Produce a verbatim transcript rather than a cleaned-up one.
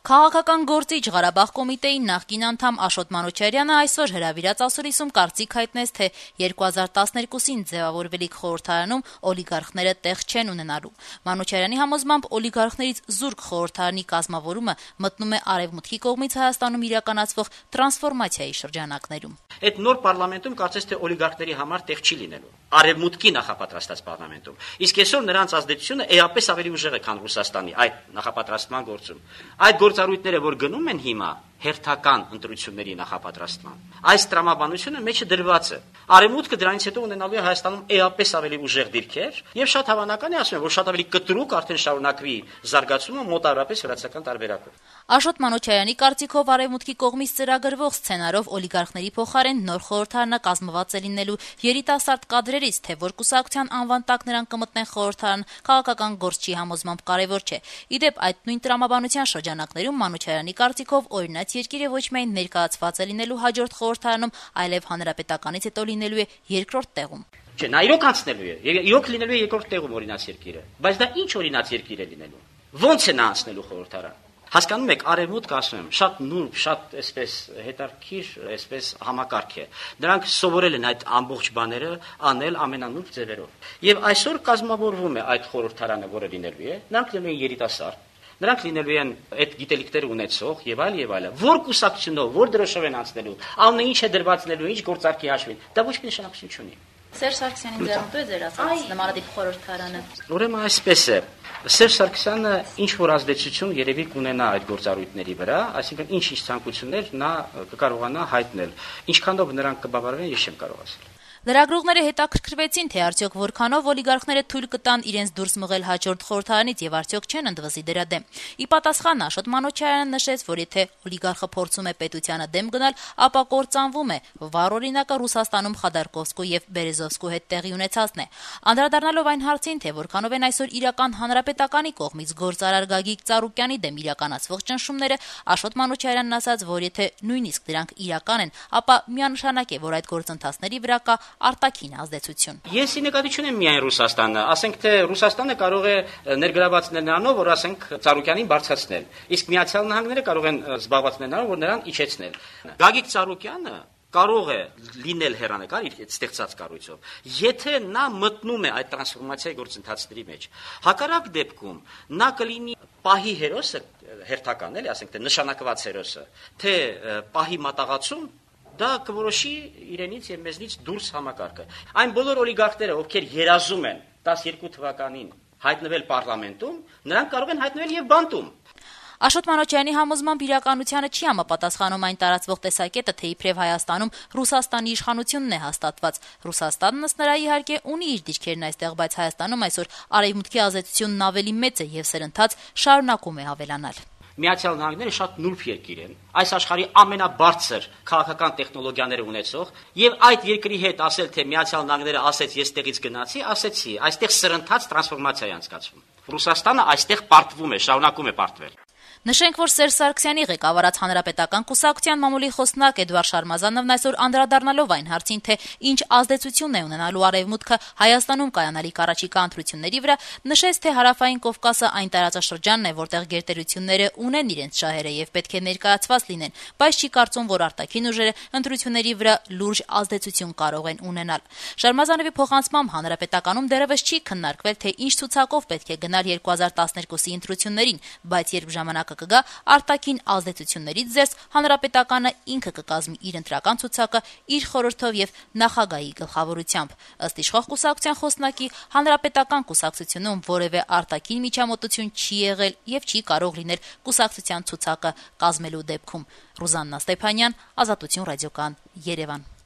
Քաղաքական գործիչ Ղարաբաղ կոմիտեի նախկին անդամ Աշոտ Մանուչարյանը այսօր հրավիրած ասուլիսում կարծիք հայտնեց, թե երկու հազար տասներկուսին ձևավորվելիք խորհրդարանում օլիգարխները տեղ չեն ունենալու։ Մանուչարյանի համոզմամբ օլիգարխներից զուրկ խորհրդարանի կազմավորումը մտնում է Արևմուտքի կողմից Հայաստանում իրականացվող տրանսֆորմացիայի շրջանակներում։ Այդ նոր պարլամենտում կարծես թե օլիգարխների համար տեղ չի լինելու։ Արևմուտքի նախապատրաստած պարլամենտում։ Իսկ այսօր նրանց ազդեցությունը էապես ավելի ուժեղ է, քան Ռուսաստանի այդ նախապատրաստման գործում։ Այդ գործառույթները, որ գնում են հիմա հերթական ընտրությունների նախապատրաստման, այս տրամաբանությունը մեջը դրված է։ Արևմուտքը դրանից հետո ունենալու է Հայաստանում էապես ավելի ուժեղ դիրքեր, եւ շատ հավանական է, ասում եմ, որ շատ ավելի կտրուկ արդեն շարունակվի զարգացումը մոտավորապես վրացական տարբերակով։ Աշոտ Մանուչարյանի կարծիքով Արևմուտքի կողմից ծրագրվող սցենարով օլիգարխների փոխարեն նոր խորհրդարանը կազմված է լինելու երիտասարդ կադրերից, թե որ կուսակցության անվան տակ նրանք կմտնեն խորհրդարան, քաղաքական գործչի համոզմամբ կարևոր չէ։ Իդեպ այդ նույն տրամաբանության շրջանակներում Մանուչարյանի կարծիքով օրինաց երկիրը ոչ միայն ներկայացված է լինելու հաջորդ խորհրդարանում, այլև հանրապետականից հետո լինելու է երկրորդ տեղում։ Չէ, նա իրոք անցնելու է, իրոք լինելու է երկրորդ տեղում օրինաց երկիրը, բայց դա ինչ օրինաց երկիր է լինելու։ Ո՞նց է նա անցնելու խորհրդարան։ Հասկանում եք, Արևմուտքը, ասում եմ, շատ նուրբ, շատ այսպես հետաքրքիր, այսպես համակարգ է։ Նրանք սովորել են այդ ամբողջ բաները անել ամենանուրբ ձևերով։ Եվ այսօր կազմավորվում է այդ խորհրդարանը, որը լինելու է, նրանք լինելու են երիտասարդ, նրանք լինելու են այդ գիտելիքները ունեցող եւ այլ եւ այլ։ Որ կուսակցությունով, որ դրոշով են անցնելու, անունը ինչ է դրվածնելու, ինչ գործարքի հաշվին, դա ոչ մի նշանակություն չունի։ Սերժ Սարգսյանին ձեռնտու է ձեր ասած նմանատիպ խորհրդարանը։ Ուրեմն այսպես է։ Սերժ Սարգսյանը ինչ որ ազդեցություն երևի կունենա այդ գործառույթների վրա, այսինքն ինչ-ինչ ցանկություններ նա կկարողանա հայտնել։ Ինչքանով նրանք կբավարարեն, ես չեմ կարող ասել։ Լրագրողները հետաքրքրվեցին, թե արդյոք որքանով օլիգարխները թույլ կտան իրենց դուրս մղել հաջորդ խորհրդարանից եւ արդյոք չեն ընդվզի դրա դեմ։ Ի պատասխան Աշոտ Մանուչարյանը նշեց, որ եթե օլիգարխը փորձում է պետությանը դեմ գնալ, ապա կործանվում է։ Վառ օրինակը Ռուսաստանում Խադարկովսկու եւ Բերեզովսկու հետ տեղի ունեցածն է։ Անդրադառնալով այն հարցին, թե որքանով են այսօր իրական հանրապետականի կողմից գործարար Գագիկ Ծառուկյանի դեմ իրականացվող ճնշումները, Աշոտ Մանուչարյանն ասաց, որ եթե նույնիսկ դրանք իրական են, ապա միանշանակ է, որ այդ գործընթացների վրա կա արտաքին ազդեցություն։ Ես ի նկատի չունեմ միայն Ռուսաստանը, ասենք թե Ռուսաստանը կարող է ներգրավացնել նրանով, որ ասենք Ծառուկյանին բարձրացնել, իսկ Միացյալ Նահանգները կարող են զբաղվածնել նրանով, որ նրան իջեցնել։ Գագիկ Ծառուկյանը կարող է լինել հեռանկար իր ստեղծած կառույցով, եթե նա մտնում է այդ տրանսֆորմացիայի գործընթացների մեջ։ Հակառակ դեպքում նա կլինի պահի հերոսը, հերթական էլի, ասենք թե նշանակված հերոսը, թե պահի մատաղացում դա կորոշի իրենից եւ մեզնից դուրս համակարգը։ Այն բոլոր օլիգարխները, ովքեր երազում են տասներկու թվականին հայտնվել պարլամենտում, նրանք կարող են հայտնվել եւ բանտում։ Աշոտ Մանուչարյանի համոզմամբ իրականությանը չի համապատասխանում այն տարածվող տեսակետը, թե իբրև Հայաստանում Ռուսաստանի իշխանությունն է հաստատված։ Ռուսաստանն ըստ նրա իհարկե ունի իր դիրքերն այստեղ, բայց Հայաստանում այսօր արևմուտքի ազդեցությունն ավելի մեծ է եւ սերընթաց շարունակում է ավելանալ։ Միացյալ Նահանգները շատ նուրբ երկիր են, այս աշխարհի ամենաբարձր քաղաքական տեխնոլոգիաները ունեցող, եւ այդ երկրի հետ ասել, թե Միացյալ Նահանգները ասեց ես տեղից գնացի, ասեցի, այստեղ սրընթաց տրանսֆորմացիա է անցկացվում։ Ռուսաստանը այստեղ պարտվում է, շարունակում է պարտվել։ Նշենք, որ Սերժ Սարգսյանի ղեկավարած հանրապետական կուսակցության մամուլի խոսնակ Էդվարդ Շարմազանովն այսօր անդրադառնալով այն հարցին, թե ինչ ազդեցություն է ունենալու Արևմուտքը Հայաստանում կայանալիք առաջիկա ընտրությունների վրա, նշեց, թե Հարավային Կովկասը այն տարածաշրջանն է, որտեղ գերտերությունները ունեն իրենց շահերը եւ պետք է ներկայացված լինեն, բայց չի կարծում, որ արտաքին ուժերը ընտրությունների վրա լուրջ ազդեցություն կարող են ունենալ։ Շարմազանովի փոխանցմամբ հանրապետականում դեռևս չի քննարկվել, թե ինչ ցուցակով պետք է գնալ երկու հազար տասներկուսի ընտրություններին, բայց երբ ժամանակը կգա, արտաքին ազդեցություններից զերծ հանրապետականը ինքը կկազմի իր ընտրական ցուցակը իր խորհրդով եւ նախագահի գլխավորությամբ։ Ըստ իշխող կուսակցության խոսնակի, հանրապետական կուսակցությունում որևէ արտաքին միջամտություն չի եղել եւ չի կարող լինել կուսակցության ցուցակը կազմելու դեպքում։ Ռուզաննա Ստեփանյան, Ազատություն ռադիոկան, Երևան։